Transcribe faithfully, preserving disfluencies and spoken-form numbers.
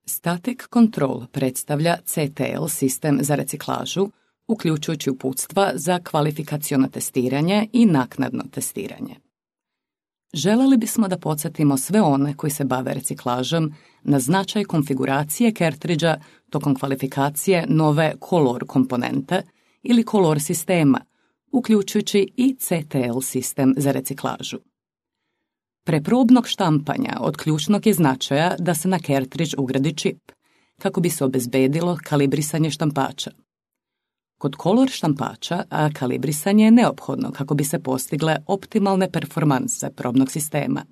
Static Control predstavlja C T L sistem za reciklažu, uključujući uputstva za kvalifikaciono testiranje i naknadno testiranje. Želeli bismo da podsjetimo sve one koji se bave reciklažom na značaj konfiguracije cartridgea tokom kvalifikacije nove Color komponente ili Color sistema, uključujući i C T L sistem za reciklažu. Pre probnog štampanja od ključnog je značaja da se na cartridge ugradi čip, kako bi se obezbedilo kalibrisanje štampača. Kod Color štampača, a kalibrisanje je neophodno kako bi se postigle optimalne performanse probnog sistema.